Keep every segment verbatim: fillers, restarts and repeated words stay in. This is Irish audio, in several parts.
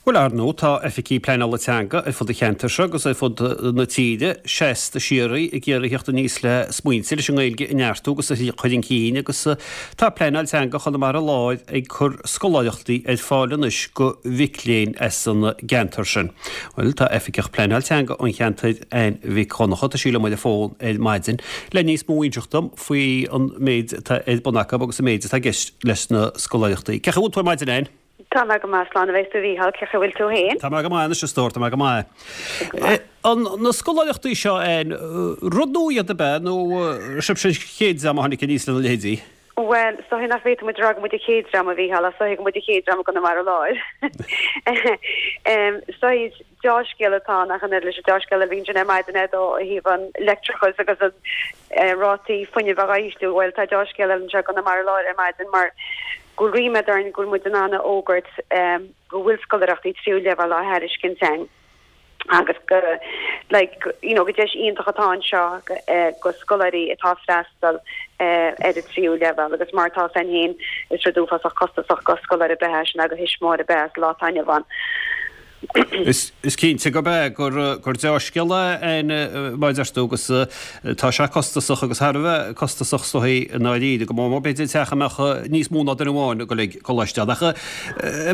Bhuel, ar ndóigh, tá oifigí pleanála teanga ar fud an cheantair seo agus ar fud na tíre seasta síoraí ag iarraidh theacht aníos le smaointe leis an nGaeilge a neartú agus a chur chun cinn agus tá Pleanáil Teanga Chonamara Láir ag cur scoláireachtaí ar fáil anois go mhic léinn as an gceantar sin. Bhuel, tá oifigeach pleanáil teanga an cheantair Ann Mhic Dhonncha, tá sí liom ar an bhfón ar maidin le níos mó a inseacht dom faoi an méid atá ar bun acu agus an méid atá i gceist leis na scoláireachtaí. Cén chaoi a bhfuil tú ar maidin, Ann? Tá mé go maith, slán a bheas tú a Mhícheáil, cén chaoi a bhfuil tú féin? Tá mé go maith anois a stór, tá mé go maith. An na scoláireachtaí seo Ann, rud nua iad ab ea nó sibhse an chéad dream a tháinig aníos lena leithéidí? Bhuel, is dóigh nach bhféadfadh muid a rá go muid an chéad dream a Mhícheáil, ach is dóigh go muid an chéad dream i gConamara Láir. Is dóigh deá-scéal atá ann ach an oiread leis an deá-scéal a bhí ansin ar maidin ó thaobh an leictreachas agus an rátaí fuinnimh a ísliú. Bhuel, tá deá-scéal eile anseo i gConamara Láir ar maidin mar go bhfuil ríméad orainn go bhfuil muid in ann a fhógairt go bhfuil scoláireachtaí tríú leibhéal á thairiscint againn agus go like you know go deis iontach atá anseo go scoláirí atá freastal ar an tríú leibhéal agus mar atá fhios againn féin is rud uafásach costasach go scoláire ab ea sin agus thuismitheoir ab ea sa lá atá inniu ann. Is cinnte gurb ea gur gur dea-scéal é mar a deir tú agus tá sé costasach agus thar a bheith costasach is dóigh i ndáiríre, go mór mór b'fhéidir teach a mbeadh níos mó ná duine amháin ag dul ag coláiste ann. Ach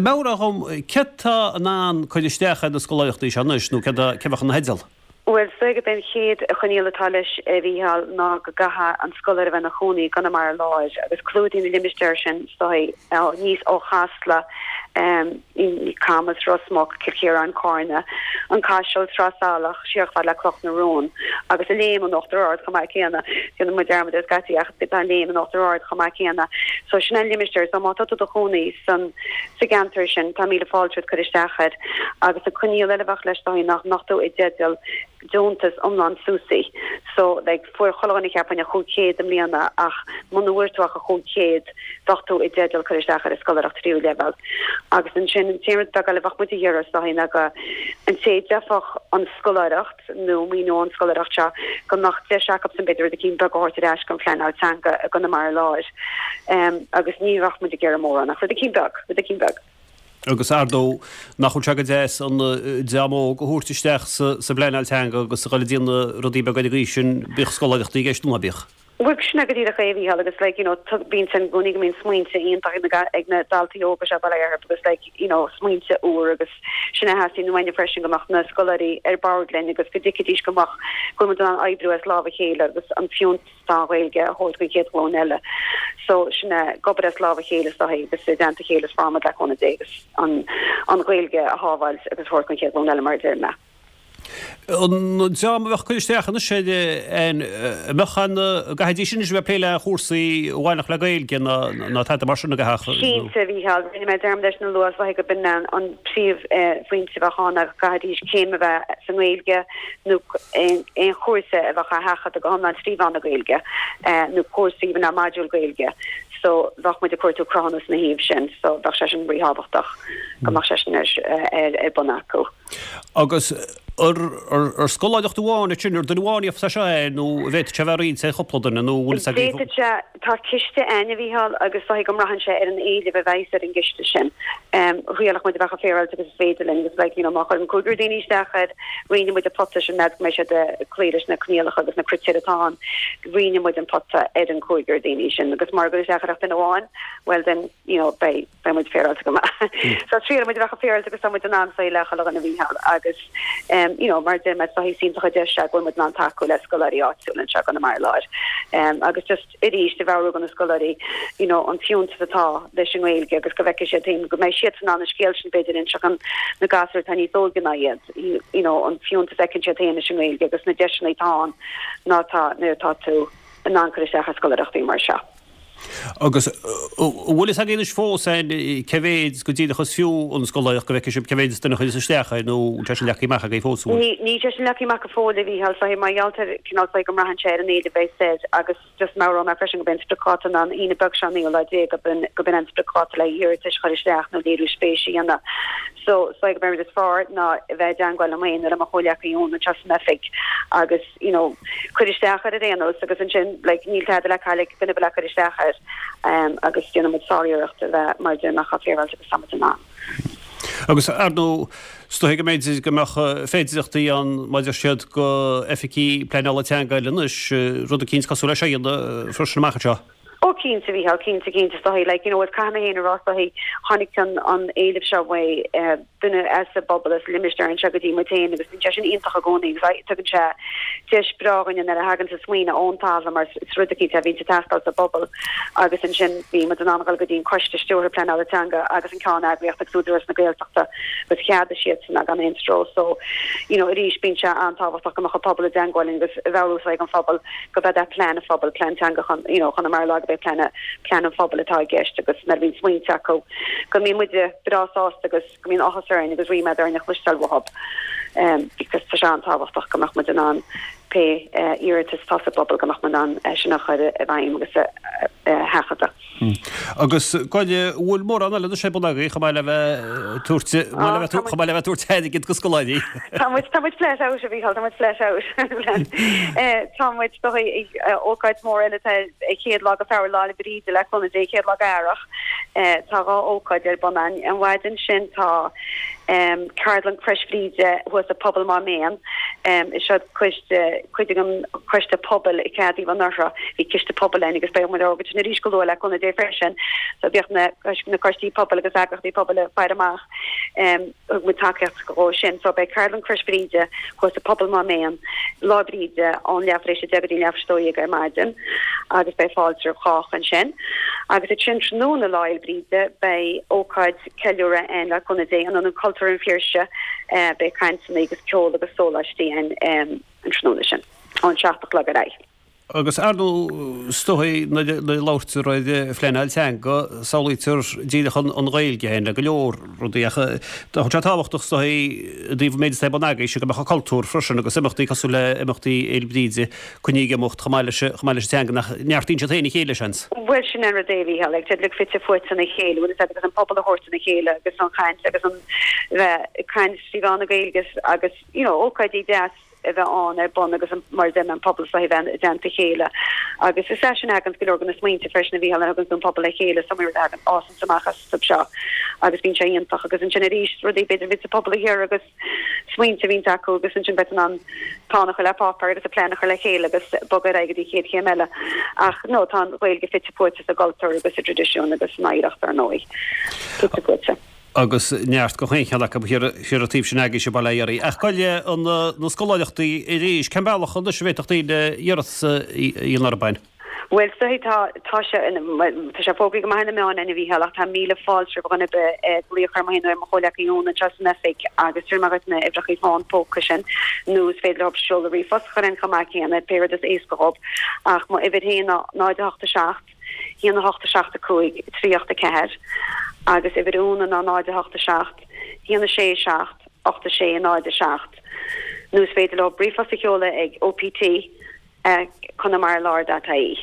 meabhraigh dhom, céard tá in ann cur isteach ar na scoláireachtaí seo anois nó céard a cé a bheadh ina theideal? Bhuel, is dóigh gurb é an chéad choinníoll atá leis, a Mhícheáil, ná go gcaithfidh an scoláire a bheith ina chónaí i gConamara Láir agus clúdaíonn an limistéar sin, is dóigh, aníos ó Chasla, Camas, Ros Muc, Cill Chiaráin, Cárna, an Caiseal, Sraith Salach, siar chomh fada le Cloch na Rón agus an Léim in Uachtar Ard chomh maith céanna. Déanann muid dearmad air scaití ach tá an Léim in Uachtar Ard chomh maith céanna. So sin an limistéar. So má tá tú i do chónaí san sa gceantar sin, tá míle fáilte romhat cur isteach air. Agus an coinníoll eile a bheadh leis is dóigh nach mbeadh tú i dteideal deontas iomlán SUSI. So, like, fuair chuile dhuine cheapfainn a chúig chéad i mbliana ach muna bhfuair tú ach a chúig chéad bheadh tú i dteideal cur isteach ar an scoláireacht tríú leibhéal. Agus ansin an t-aon rud beag eile a bheadh muid a iarraidh is dóigh ná go an té a d'fhéadfadh an scoláireacht nó maoiniú ón scoláireacht seo go mbeadh deis acusan b'fhéidir rud eicínt beag a thabhairt ar ais don phleanáil teanga i gConamara Láir. Agus ní bheadh muid ag iarraidh mórán ach rud eicínt beag, rud eicínt beag. Agus ar ndóigh, nach bhfuil sé go deas an dream óg a thabhairt isteach sa bpleanáil teanga agus a dhul ag déanamh rudaí beaga ar an gcaoi sin, bíodh scoláireachtaí i gceist nó ná bíodh? Bhuel, sin é go díreach é, a Mhícheáil, agus like, you know, bíonn sin i gcónaí go mbíonn smaointe iontach ag na, ag na daltaí óga seo, bail ó Dhia orthu, agus like, you know, smaointe úr agus sin a theastaíonn uainne freisin go mbeadh na scoláirí ar bord linn agus go dtuigfidís go mbeadh, go bhfuil muid in ann oibriú as lámh a chéile agus an fiúntas atá an Ghaeilge a thabhairt don chéad ghlúin eile. So sin é, ag obair as lámh a chéile is dóigh agus i dteannta a chéile is fearr muid le cúnamh Dé agus an, an Ghaeilge a shábháilt agus a thabhairt don chéad ghlúin eile mar a deir mé. An dream a bheadh ag cur isteach anois air, an mbeadh an, gcaithfidís anois a bheith ag plé le chúrsaí a bhainfeadh le Gaeilge ná ná tada mar sin a gcaithfeadh? Cinnte, a Mhícheáil, rinne mé dearmad air sin a lua, is dóigh go b'in an príomhphointe a bheadh ann ná go gcaithfidís céim a bheith sa nGaeilge nó aon chúrsa a bheadh á sheachadadh go hiomlán trí mheán na Gaeilge nó cúrsa even ná modúl Gaeilge so bheadh muid ag cuartú cruthúnas ina thaobh sin so bheadh sé sin ríthábhachtach go mbeadh sé sin ar ar bun acu. Agus ar ar scoláireacht amháin é sin, ar duine amháin a íocfas é seo é nó an bhféadfadh sé a bheith roinnte ar chúpla duine nó bhfuil fhios agaibh? D'fhéadfadh sé, tá ciste againn a Mhícheáil agus is dóigh go mbraitheann sé ar an éileamh a bheas ar an gciste sin. Thriailfidh muid a bheith chomh féaráilte agus is féidir linn agus like you know má chuireann cúigear daoine isteach air, roinnfidh muid an pota sin meas go mbeidh siad ag cloí leis na coinníollacha agus na critéir atá ann, roinnfidh muid an pota ar an cúigear daoine sin agus mura gcuireann isteach air ach duine amháin, well then you know beidh beidh muid féaráilte go maith. So triailfidh muid a bheith chomh féaráilte agus tá muid in ann saoil le chuile dhuine a Mhícheáil agus um you know mar a deir mé is dóigh is iontach an deis é go bhfuil muid in ann tacú le scoláirí áitiúla anseo i gConamara Láir um agus just arís a mheabhrú do na scoláirí you know an fiúntas atá leis an nGaeilge agus go bhfeicfidh siad féin go mbeidh siad in ann an scéal sin b'fhéidir a inseacht do na gasúir atá níos óige ná iad you know an fiúntas a fheiceann siad féin leis an nGaeilge agus na deiseanna atá ann ná tá nuair atá tú in ann cur isteach ar scoláireachtaí mar seo. Agus an bhfuil fhios agaibh anois fós cé mhéid go díreach is fiú an scoláireacht, go bhfeicfidh sibh cé mhéid duine a chuireas isteach air nó an bhfuil sé sin leagtha amach agaibh fós, an bhfuil? Níl sé sin leagtha amach go fóill, a Mhícheáil, so mar gheall ar cineál so go mbraitheann sé ar an éileamh a bheas air agus just meabhróidh mé freisin go b'é an spriocdháta ná an Aoine beag seo an naoú lá déag go b'in an spriocdháta le hiarratais a chur isteach nó léiriú spéise a dhéanamh. So so go b'é an rud is fearr ná a bheith i dteangmháil liom féin nó le mo chomhghleacaí Eoin anseo san oifig agus you know, cuir isteach air ar aon nós agus ansin like níl tada le cailleadh ag duine ar bith le cur isteach air um, agus déanfaidh muid sáriarracht a bheith mar a deir mé chomh féaráilte agus tá muid in ann. Agus ar ndóigh, is dóigh go mb'fhéidir go mbeadh féidireachtaí ann maidir siad go oifigí pleanála teanga eile anois, rud eicínt cosúil leis seo a dhéanamh freisin amach anseo. Ó cinnte, a Mhícheáil, cinnte, cinnte, is dóigh, like, you know, is caithfidh mé féin a rá, is dóigh, tháinig an, an éileamh seo uaidh eh, duine as an bpobal, as limistéar anseo go dtí muid féin agus bíonn sé sin iontach i gcónaí agus tugann sé deis breá dhuine nuair a thagann sa smaoineamh ón talamh mar is rud eicínt a bhíonn ag teastáil sa bpobal agus ansin bhí muid in ann dul go dtí an coiste stiúrtha pleanála teanga agus an ceann eagraíocht agus Údarás na Gaeltachta agus cheadaigh siadsan gan aon stró so you know arís bíonn sé an-tábhachtach go mbeadh an pobal i dteangmháil agus a mheabhrú ag an phobal go b'é é plean an phobail plean teanga chun you know Chonamara Láir go b'é plean plean an phobail atá i gceist agus nuair a bhíonn smaointe acu go mbíonn muide breá sásta agus go mbíonn áthas orainn agus ríméad orainn a chloisteáil uathu um, because tá sé an-tábhachtach go mbeadh muid in ann pé uh, iarratas atá sa bpobal go mbeadh muid in ann uh, sin a chur i bhfeidhm agus a sheachadadh. Agus goile bhfuil mórán eile ar bun agaibh chomh maith le bheith tabhairt chomh maith le bheith tabhairt airgid go scoláirí. Tá muid tá muid flat out a Mhícheáil, tá muid flat out. Tá muid do ócáid mór eile tá chéad lá de Feabhra Lá 'le Bríde le cúnamh Dé chéad lá d'Earrach. Tá dhá ócáid ar bun an an mhaidin sin tá um, Ceardlann Crois Bhríde thuas i Pobal Má Méan um, is seo cuid cuid an coiste pobail i Ceadaí an Ortha bhí ciste pobail ann agus beidh muid agus sin arís go luath le cúnamh Dé freisin so bíodh na na coistí pobail agus eagraíochtaí pobail ag faire amach um, muid tacaíocht go sin so beidh Ceardlann Crois Bhríde thuas i Pobal Má Méan Lá Bríde ón leathuair tar éis a deich go dtí leathuair tar éis a dó dhéag ar maidin agus beidh fáilte roimh chách ansin. Agus ansin tráthnóna Lá Bríde beidh ócáid ceiliúradh ann le cúnamh Dé in Ionad Cultúir an Phiarsaigh eh, beidh cainteanna agus ceol agus sóláistí an um, an tráthnóna sin ón seacht a chlog ar aghaidh. Agus ar ndóigh is dóigh nuair a labhraítear ar phleanáil teanga samhlaítear díreach an an Ghaeilge féin le go leor rudaí ach tá sé tábhachtach is dóigh i dtaobh an méid atá ar bun agaibhse go mbeadh an cultúr freisin agus imeachtaí cosúil le imeachtaí Fhéile Bríde coinníodh ag imeacht chomh maith leis chomh maith leis an teanga nach neartaíonn siad féin a chéile seans. Bhuel sin an rud é a Mhícheáil like like fite fuaite ina chéile bhfuil a fhios agus an pobal a thabhairt ina chéile agus an chaint agus an bheith caint trí mheán na Gaeilge agus you know ócáidí deas a bheith ann ar bun agus mar den an pobal sa bheith i dteannta chéile. Agus is é sin agan go leor na smaointe freisin a bhí agus an pobal le chéile samir agan ásan amach as seo agus bíonn sé iontach agus ansin arís rudaí b'fhéidir bhí sa pobal thiar agus smaointe bhíonn acu agus ansin bheith an plean a chur le páipéar agus a plean a chur le chéile agus bogadh ar aghaidh go dtí chéad chéim eile. Ach no tá an Ghaeilge fite fuaite sa gcultúr agus sa traidisiún agus san oidhreacht ar ndóigh. Fite fuaite. agus neart go chaon cheann acu thiar an taobh sin agaibhse bail ó Dhia oraibh. Ach goile an na scoláireachtaí arís, cén bealach anois a bhféadfadh daoine iarratas a dhéanamh orthu féin? Bhuel so tá tá sé tá sé fógraithe go maith na meáin a Mhícheáil ach tá míle fáilte roimh dhuine ar bith glaoch ar mo nó mo chomhleacaí Úna anseo san oifig agus tar mar na uimhreacha fón póca sin nó is féidir leo seoladh ríomhphost a chur in chomh maith céanna pé rud is éasca dhóibh ach mo uimhir féin ná náid a hocht a seacht haon a hocht a seacht a cúig trí ocht a ceathair agus uimhir Úna ná náid a hocht a seacht haon a sé seacht ocht a sé náid a seacht nó is féidir leo ríomhphost a sheoladh ag OPT ag Conamara Láir dot ie.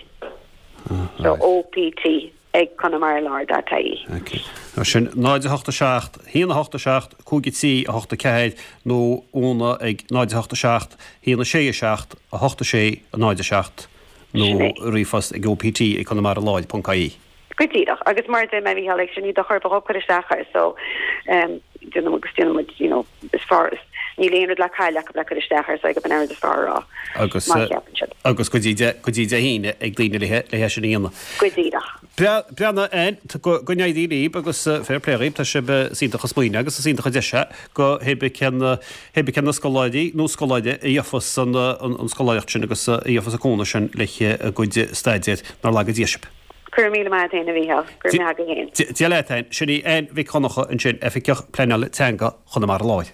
So OPT ag Conamara Láir dot ie. Okay. Sin náid a hocht a seacht haon a hocht a seacht cúig a trí a hocht a ceathair nó Úna ag náid a hocht a seacht haon a sé a seacht a hocht a sé a náid a seacht. nó ríomhphost ag OPT ag Conamara Láir ponc ie. Go díreach agus mar de mé bhí sin ní do chur chur isteach air so um, déanamh agus déanamh you know is fearr níl aon rud le cailleadh acu le cur isteach air so go b'in an rud is fearr a rá. Agus agus go dtí go dtí Dé hAoine ag daoine le le sin a dhéanamh. Go díreach. Breathnaigh Ann go n-éirí libh agus fair play dhaoibh tá sibh is iontach an smaoineamh agus is iontach an deis é go hé bith cén hé bith cén na scoláirí nó scoláire a gheofas an an scoláireacht sin agus a gheofas an cúnamh sin le a gcuid staidéir nár laga Dia sibh. Go raibh míle maith agat féin a Mhícheáil, go raibh maith agat féin. Dia leat Ann, sin í Ann Mhic Dhonncha ansin, Oifigeach Pleanála Teanga Chonamara Láir.